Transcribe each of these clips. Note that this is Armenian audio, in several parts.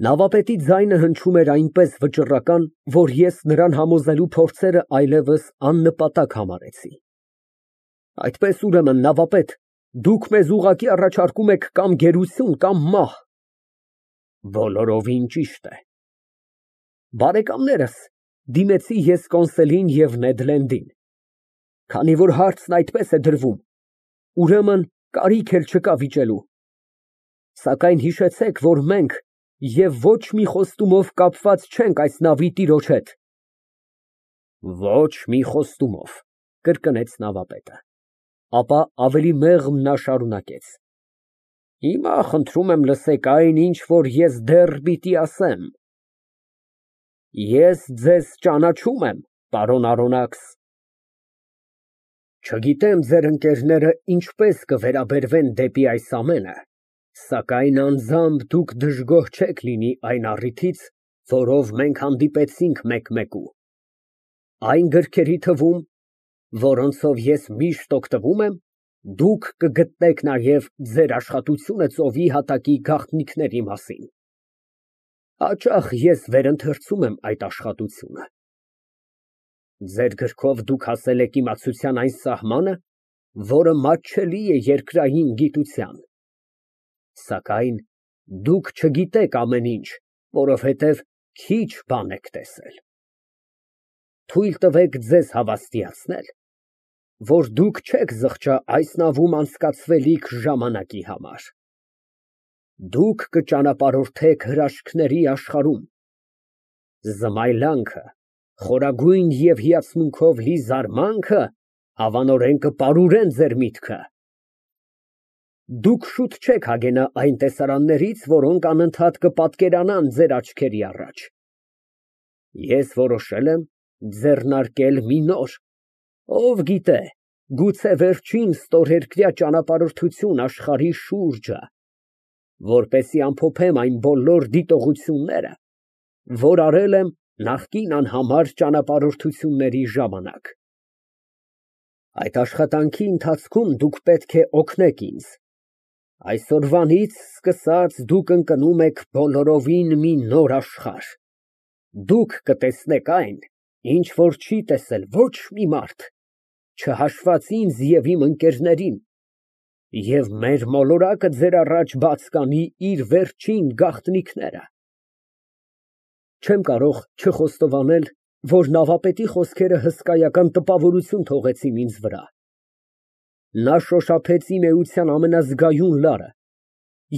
Նավապետի ձայնը հնչում էր այնպես վճռական, որ ես նրան համոզելու փորձերը այլևս աննպատակ համարեցի։ Այդպես, ուրեմն, նավապետ, դուք մեզ ուղղակի առաջարկում եք կամ գերություն, կամ մահ։ Բոլորովին ճիշտ է։ Բարեկամներս, դիմեցի ես կոնսուլին և Նեդ Լենդին, քանի որ հարցն այդպես է դրվում, ուրեմն կարիք էլ չկա վիճելու։ Սակայն հիշեցեք, որ մենք և ոչ մի խոստումով կապված չենք այս նավի տիրոջ հետ։ Ոչ մի խոստումով, կրկնեց նավապետը, ապա ավելի մեղմ նա շարունակեց. Հիմա խնդրում եմ լսեք այն, ինչ որ ես դեռ պիտի ասեմ։ Ես ձեզ ճանաչում եմ, պարոն Արոնաքս։ Չգիտեմ ձեր ընկերները ինչպես կվերաբերվեն դեպի այս ամենը, սակայն անձամբ դուք դժգոհ չեք լինի այն առիթից, որով մենք հանդիպեցինք մեկ֊մեկու։ Այն գրքերի թվում, որոնցով ես միշտ օգտվում եմ, դուք կգտնեք նաև ձեր աշխատությունը ծովի հատակի գաղտնիքների մասին։ Հաճախ ես վերընթերցում եմ այդ աշխատությունը։ Ձեր գրքով դուք հասել եք իմացության այն սահմանը, որը մատչելի է երկրային գիտության։ Սակայն դուք չգիտեք ամեն ինչ, որովհետև քիչ բան եք տեսել։ Թույլ տվեք ձեզ հավաստիացնել, որ դուք չեք զղջա այս նավում անցկացվելիք ժամանակի համար։ Դուք կճանապարհորդեք հրաշքների աշխարհում։ Զմայլանքը, խորագույն և հիացմունքով լի զարմանքը հավանորեն կպարուրեն ձեր միտքը։ Դուք շուտ չեք հագենա այն տեսարաններից, որոնք անընդհատ կպատկերանան ձեր աչքերի առաջ։ Ես որոշել եմ ձեռնարկել մի նոր, ով գիտե, գուցե վերջին ստորերկրյա ճանապարհորդություն աշխարհի շուրջը, որպեսզի ամփոփեմ այն բոլոր դիտողությունները, որ արել եմ նախկին անհամար ճանապարհորդությունների ժամանակ։ Այդ աշխատանքի ընթացքում դուք պետք է օգնեք ինձ։ Այսօրվանից սկսած դուք ընկնում եք բոլորովին մի նոր աշխարհ։ Դուք կտեսնեք այն, ինչ որ չի տեսել ոչ մի մարդ, չհաշված ինձ և իմ ընկերներին, և մեր մոլորակը ձեր առաջ բաց կանի իր վերջին գաղտնիքները։ Չեմ կարող չխոստովանել, որ նավապետի խոսքերը հսկայական տպավորություն թողեցին ինձ վրա։ Նա շոշափեց իմ էության ամենազգայուն լարը,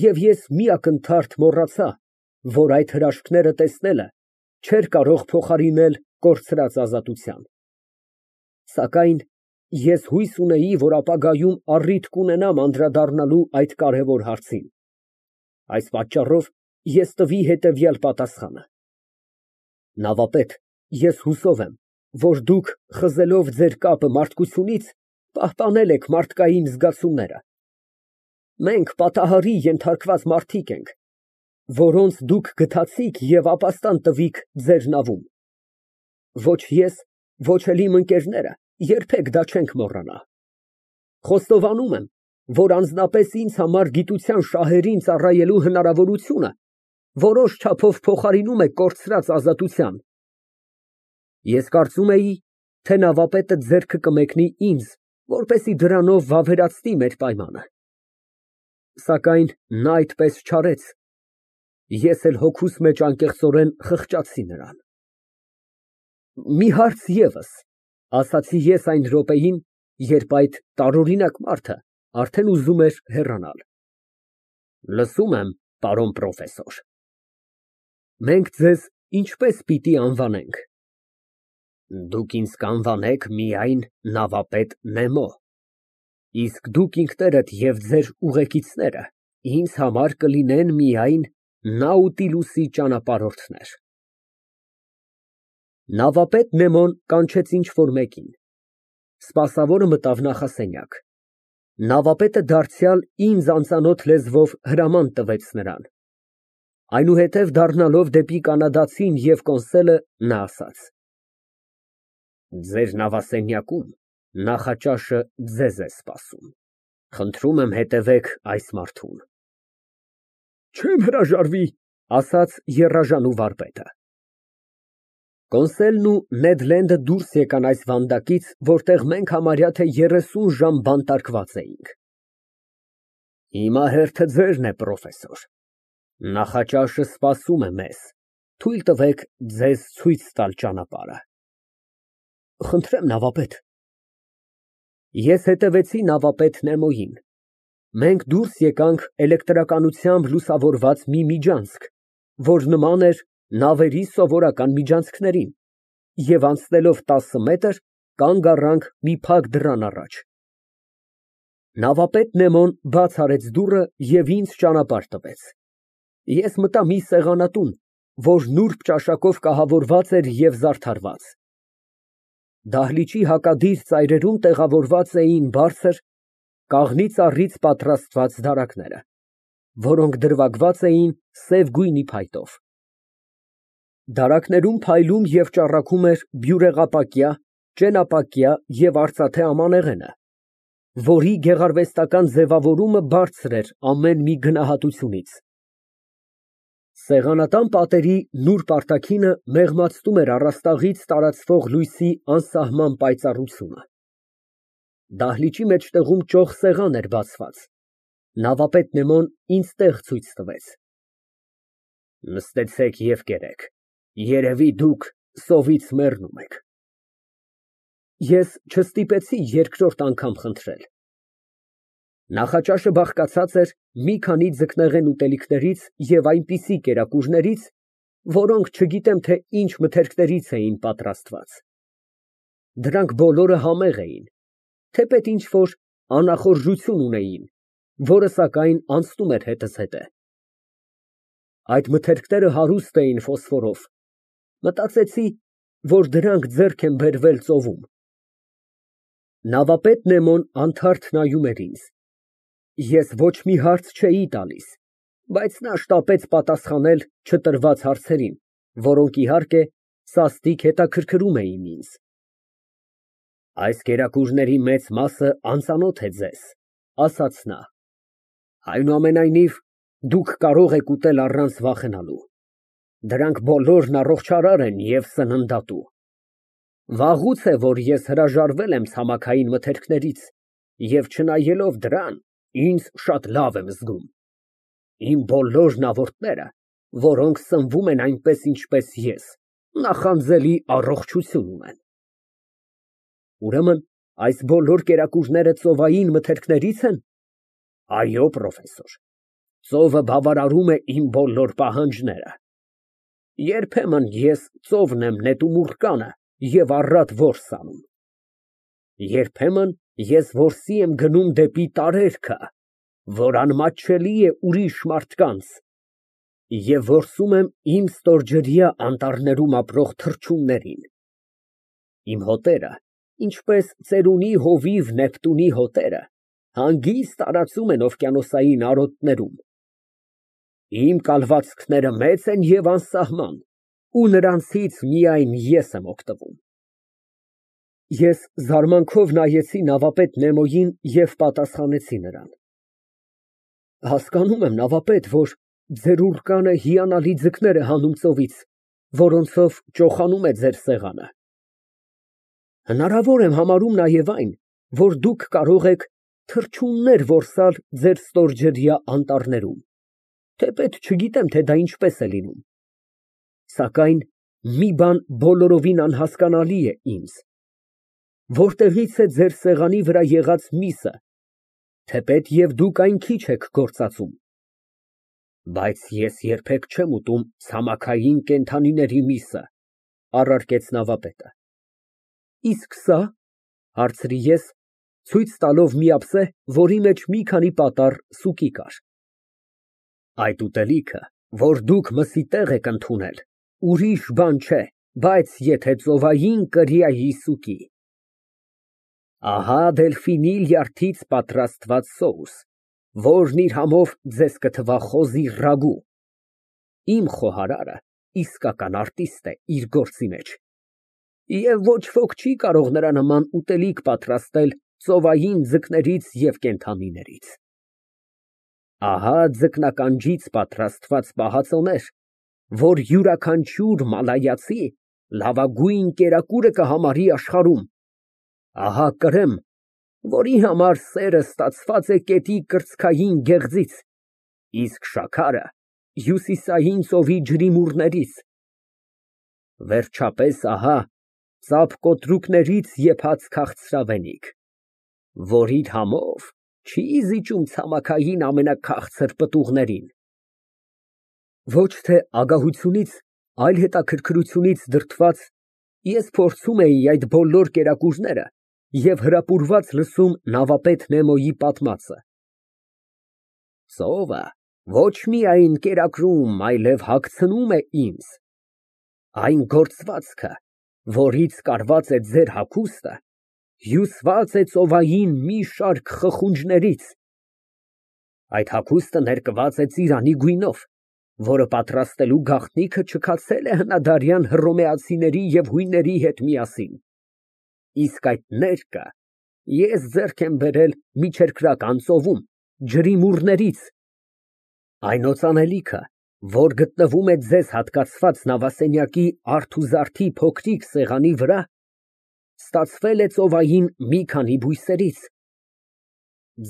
և ես մի ակնթարթ մոռացա, որ այդ հրաշքները տեսնելը չէր կարող փոխարինել կորցրած ազատության։ Սակայն ես հույս ունեի, որ ապագայում առիթ կունենամ անդրադառնալու այդ կարևոր հարցին։ Այս պատճառով ես տվի հետևյալ պատասխանը. Նավապետ, ես հուսով եմ, որ դուք, խզելով ձեր կապը մարդկությունից, պահպանել եք մարդկային զգացումները։ Մենք պատահարի ենթարկված մարդիկ ենք, որոնց դուք գթացիք և ապաստան տվիք ձեր նավում։ Ոչ ես, ոչ էլ իմ ընկերները երբեք դա չենք մոռանա։ Խոստովանում եմ, որ անձնապես ինձ համար գիտության շահերին ծառայելու հնարավորությունը որոշ չափով փոխարինում է կորցրած ազատության։ Ես կարծում էի, թե նավապետը ձեռքը կմեկնի ինձ, որպեսզի դրանով վավերացնի մեր պայմանը։ Սակայն նա այդպես չարեց։ Ես էլ հոգուս մեջ անկեղծորեն խղճացի նրան։ Մի հարց ևս, ասացի ես այն րոպեին, երբ այդ տարօրինակ մարդը արդեն ուզում էր հեռանալ։ Լսում եմ, պարոն պրոֆեսոր։ Մենք ձեզ ինչպես պիտի անվանենք։ Դուք ինձ կանվանեք միայն նավապետ Նեմո, իսկ դուք ինքներդ և ձեր ուղեկիցները ինձ համար կլինեն միայն Նաուտիլուսի ճանապարհորդներ։ Նավապետ Նեմոն կանչեց ինչ֊որ մեկին։ Սպասավորը մտավ նախասենյակ։ Նավապետը դարձյալ ինձ անծանոթ լեզվով հրաման տվեց նրան։ Այնուհետև դառնալով դեպի կանադացին և կոնսուլը, նա ասաց. Ձեր նավասենյակում նախաճաշը ձեզ է սպասում։ Խնդրում եմ հետևեք այս մարդուն։ Չեմ հրաժարվի, ասաց եռաժանու վարպետը։ Կոնսելն ու Նեդ Լենդը դուրս եկան այս վանդակից, որտեղ մենք համարյա թե 30 ժամ բանտարկված էինք։ Հիմա հերթը ձերն է, պրոֆեսոր։ Նախաճաշը սպասում է մեզ։ Թույլ տվեք ձեզ ցույց տալ ճանապարհը։ Խնդրեմ, նավապետ։ Ես հետևեցի նավապետ Նեմոյին։ Մենք դուրս եկանք էլեկտրականությամբ լուսավորված մի միջանցք, որ նման էր նավերի սովորական միջանցքներին, և անցնելով 10 մետր, կանգ առանք մի փակ դռան առաջ։ Նավապետ Նեմոն բաց արեց դուռը և ինձ ճանապարհ տվեց։ Ես մտա մի սեղանատուն, որ նուրբ ճաշակով կահավորված էր և զարդարված։ Դահլիճի հակադիր ծայրերում տեղավորված էին բարձր, կաղնի ծառից պատրաստված դարակները, որոնք դրվագված էին սև գույնի փայտով։ Դարակներում փայլում և ճառագում էր բյուրեղապակյա, ճենապակյա և արծաթե ամանեղենը, որի գեղարվեստական ձևավորումը բարձր էր ամեն մի գնահատությունից։ Սեղանատան պատերի նուրբ արտաքինը մեղմացնում էր առաստաղից տարածվող լույսի անսահման պայծառությունը։ Դահլիճի մեջտեղում ճոխ սեղան էր բացված։ Նավապետ Նեմոն ինձ տեղ ցույց տվեց։ Նստեցեք և կերեք, երևի դուք սովից մեռնում եք։ Ես չստիպեցի երկրորդ անգամ խնդրել։ Նախաճաշը բաղկացած էր մի քանի ձկնեղեն ուտելիքներից և այնպիսի կերակուրներից, որոնք չգիտեմ, թե ինչ մթերքներից էին պատրաստված։ Դրանք բոլորը համեղ էին, թեպետ ինչ֊որ անախորժություն ունեին, որը, սակայն, անցնում էր հետզհետե հետը։ Այդ մթերքները հարուստ էին ֆոսֆորով։ Մտածեցի, որ դրանք ձեռք են բերվել ծովում։ Նավապետ Նեմոն անթարթ նայում էր ինձ։ Ես ոչ մի հարց չէի տալիս, բայց նա շտապեց պատասխանել չտրված հարցերին, որոնք, իհարկե, սաստիկ հետաքրքրում էին ինձ։ Այս կերակուրների մեծ մասը անծանոթ է ձեզ, ասաց նա։ Այնուամենայնիվ, դուք կարող եք ուտել առանց վախենալու։ Դրանք բոլորն առողջարար են և սննդատու։ Վաղուց է, որ ես հրաժարվել եմ ցամաքային մթերքներից և չնայելով դրան, ինձ շատ լավ եմ զգում։ Իմ բոլոր նավորդները, որոնք սնվում են այնպես, ինչպես ես, նախանձելի առողջություն ունեն։ Ուրեմն այս բոլոր կերակուրները ծովային մթերքների՞ց են։ Այո, պրոֆեսոր, ծովը բավարարում է իմ բոլոր պահանջները։ Երբեմն ես ծովն եմ նետում ուռկանը և առատ որս անում։ Երբեմն ես որսի եմ գնում դեպի տարերքը, որ անմատչելի է ուրիշ մարդկանց, և որսում եմ իմ ստորջրյա անտառներում ապրող թռչուններին։ Իմ հոտերը, ինչպես ծերունի հովիվ Նեպտունի հոտերը, հանգիստ տարածում են օվկիանոսային արոտներում։ Իմ կալվածքները մեծ են և անսահման, ու նրանցից միայն ես եմ օգտվում։ Ես զարմանքով նայեցի նավապետ Նեմոյին և պատասխանեցի նրան։ Հասկանում եմ, նավապետ, որ ձեր ուռկանը հիանալի ձկներ է հանում ծովից, որոնցով ճոխանում է ձեր սեղանը։ Հնարավոր եմ համարում նաև այն, որ դուք կարող եք թռչուններ որսալ ձեր ստորջրյա անտառներում, թեպետ չգիտեմ, թե դա ինչպես է լինում։ Սակայն մի բան բոլորովին անհասկանալի է ինձ. որտեղի՞ց է ձեր սեղանի վրա եղած միսը, թեպետ և դուք այն քիչ եք գործածում։ Բայց ես երբեք չեմ ուտում ցամաքային կենդանիների միսը, առարկեց նավապետը։ Իսկ սա, հարցրի ես, ցույց տալով մի ափսե, որի մեջ մի քանի պատառ սուկի կար։ Այդ ուտելիքը, որ դուք մսի տեղ եք ընդունել, ուրիշ բան չէ, բայց եթե ծովային կրիայի սուկի։ Ահա դելֆինի լյարդից պատրաստված սոուս, որն իր համով ձեզ կթվա խոզի ռագու։ Իմ խոհարարը իսկական արտիստ է իր գործի մեջ, և ոչ ոք չի կարող նրա նման ուտելիք պատրաստել ծովային ձկներից և կենդանիներից։ Ահա ձկնականջից պատրաստված պահածոներ, որ յուրաքանչյուր մալայացի լավագույն կերակուրը կհամարի աշխարհում, ահա կրեմ, որի համար սերը ստացված է կետի կրծքային գեղձից, իսկ շաքարը հյուսիսային ծովի ջրիմուռներից, վերջապես ահա ծափկոտրուկներից եփած քաղցրավենիք, որի համով չի զիջում ցամաքային ամենաքաղցր պտուղներին։ Ոչ թե ագահությունից, այլ հետաքրքրությունից դրդված, ես փորձում էի այդ բոլոր կերակուրները և հրապուրված լսում նավապետ Նեմոյի պատմածը։ Ծովը ոչ միայն կերակրում, այլև հագցնում է ինձ։ Այն գործվածքը, որից կարված է ձեր հագուստը, հյուսված է ծովային մի շարք խխունջներից։ Այդ հագուստը ներկված է ծիրանի գույնով, որը պատրաստելու գաղտնիքը չքացել է հնադարյան հռոմեացիների և հույների հետ միասին, իսկ այդ ներկը ես ձեռք եմ բերել Միջերկրական ծովում, ջրիմուռներից, այն օծանելիքը, որ գտնվում է ձեզ հատկացված նավասենյակի արթուզարդի փոքրիկ սեղանի վրա, ստացվել է ծովային մի քանի բույսերից,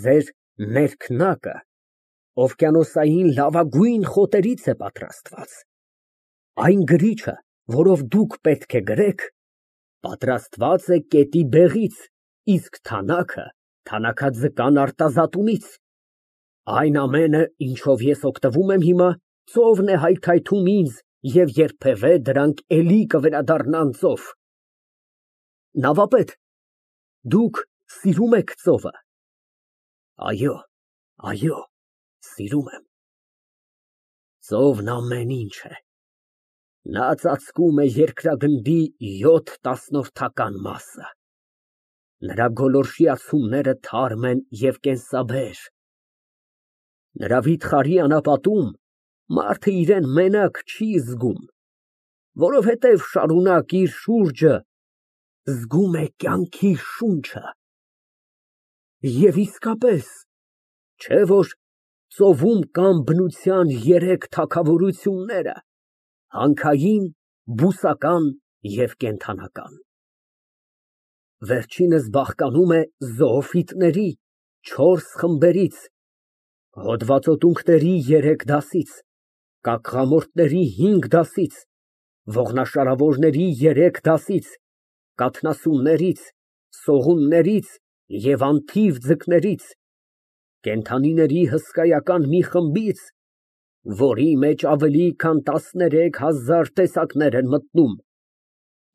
ձեր ներքնակը օվկիանոսային լավագույն խոտերից է պատրաստված, այն գրիչը, որով դուք պետք է գրեք, պատրաստված է կետի բեղից, իսկ թանաքը թանաքաձկան արտազատումից, այն ամենը, ինչով ես օգտվում եմ հիմա, ծովն է հայթայթում ինձ և երբևէ դրանք էլի կվերադառնան ծով։ Նավապետ, դուք սիրում եք ծովը։ Այո, սիրում եմ։ Ծովն ամեն ինչ է։ Նա ծածկում է երկրագնդի 7/10 մասը։ Նրա գոլորշիացումները թարմ են և կենսաբեր։ Նրա վիթխարի անապատում մարդը իրան մենակ չի զգում, որովհետև շարունակ իր շուրջը զգում է կյանքի շունչը։ Եվ իսկապես, չէ՞ որ ծովում կան բնության երեք թագավորությունները՝ հանքային, բուսական և կենդանական։ Վերջինս բաղկանում է զոոֆիտների 4 խմբերից, հոդվածոտունքների 3 դասից, կակղամորտների 5 դասից, ողնաշարավորների 3 դասից, կաթնասուններից, սողուններից և անթիվ ձկներից, կենդանիների հսկայական մի խմբից, որի մեջ ավելի քան 13,000 տեսակներ են մտնում,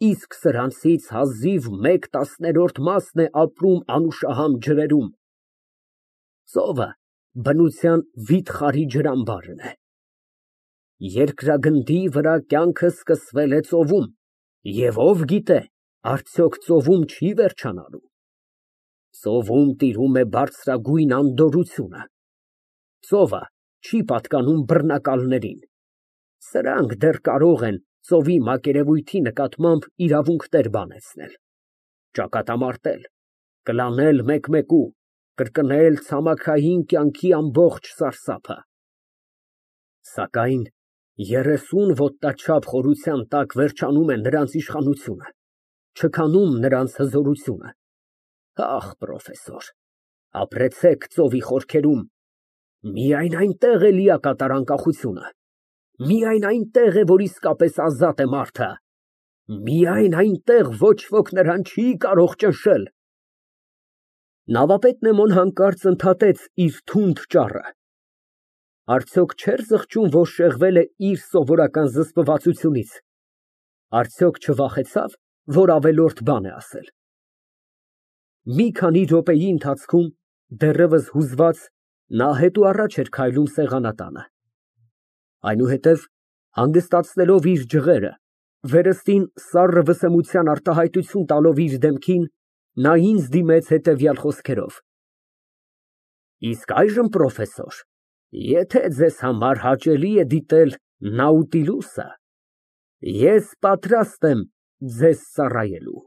իսկ սրանցից հազիվ 1/10 մասն է ապրում անուշահամ ջրերում։ Ծովը բնության վիթխարի ջրամբարն է։ Երկրագնդի վրա կյանքը սկսվել է ծովում, և ով գիտե, արդյոք ծովում չի վերջանալու։ Ծովում տիրում է բարձրագույն անդորրությունը։ Ծովը չի պատկանում բռնակալներին։ Սրանք դեռ կարող են ծովի մակերևույթի նկատմամբ իրավունքներ բանեցնել, ճակատամարտել, կլանել մեկ֊մեկու, կրկնել ցամաքային կյանքի ամբողջ սարսափը։ Սակայն 30 ոտնաչափ խորության տակ վերջանում է նրանց իշխանությունը, չքանում նրանց հզորությունը։ Ախ, պրոֆեսոր, ապրեցեք ծովի խորքերում, միայն այնտեղ է լիակատար անկախությունը, միայն այնտեղ է, որ իսկապես ազատ է մարդը, միայն այնտեղ ոչ ոք նրան չի կարող ճնշել։ Նավապետ Նեմոն հանկարծ ընդհատեց իր թունդ ճառը։ Արդյոք չէր զղջում, որ շեղվել է իր սովորական զսպվածությունից, արդյոք չվախեցավ, որ ավելորդ բան է ասել։ Մի քանի րոպեի ընթացքում, դեռևս հուզված, նա հետուառաջ էր քայլում սեղանատանը։ Այնուհետև, հանգստացնելով իր ջղերը, վերստին սառը վսեմության արտահայտություն տալով իր դեմքին, նա ինձ դիմեց հետևյալ խոսքերով. Իսկ այժմ, պրոֆեսոր, եթե ձեզ համար հաճելի է դիտել Նաուտիլուսը, ես պատրաստ եմ ձեզ ծառայելու։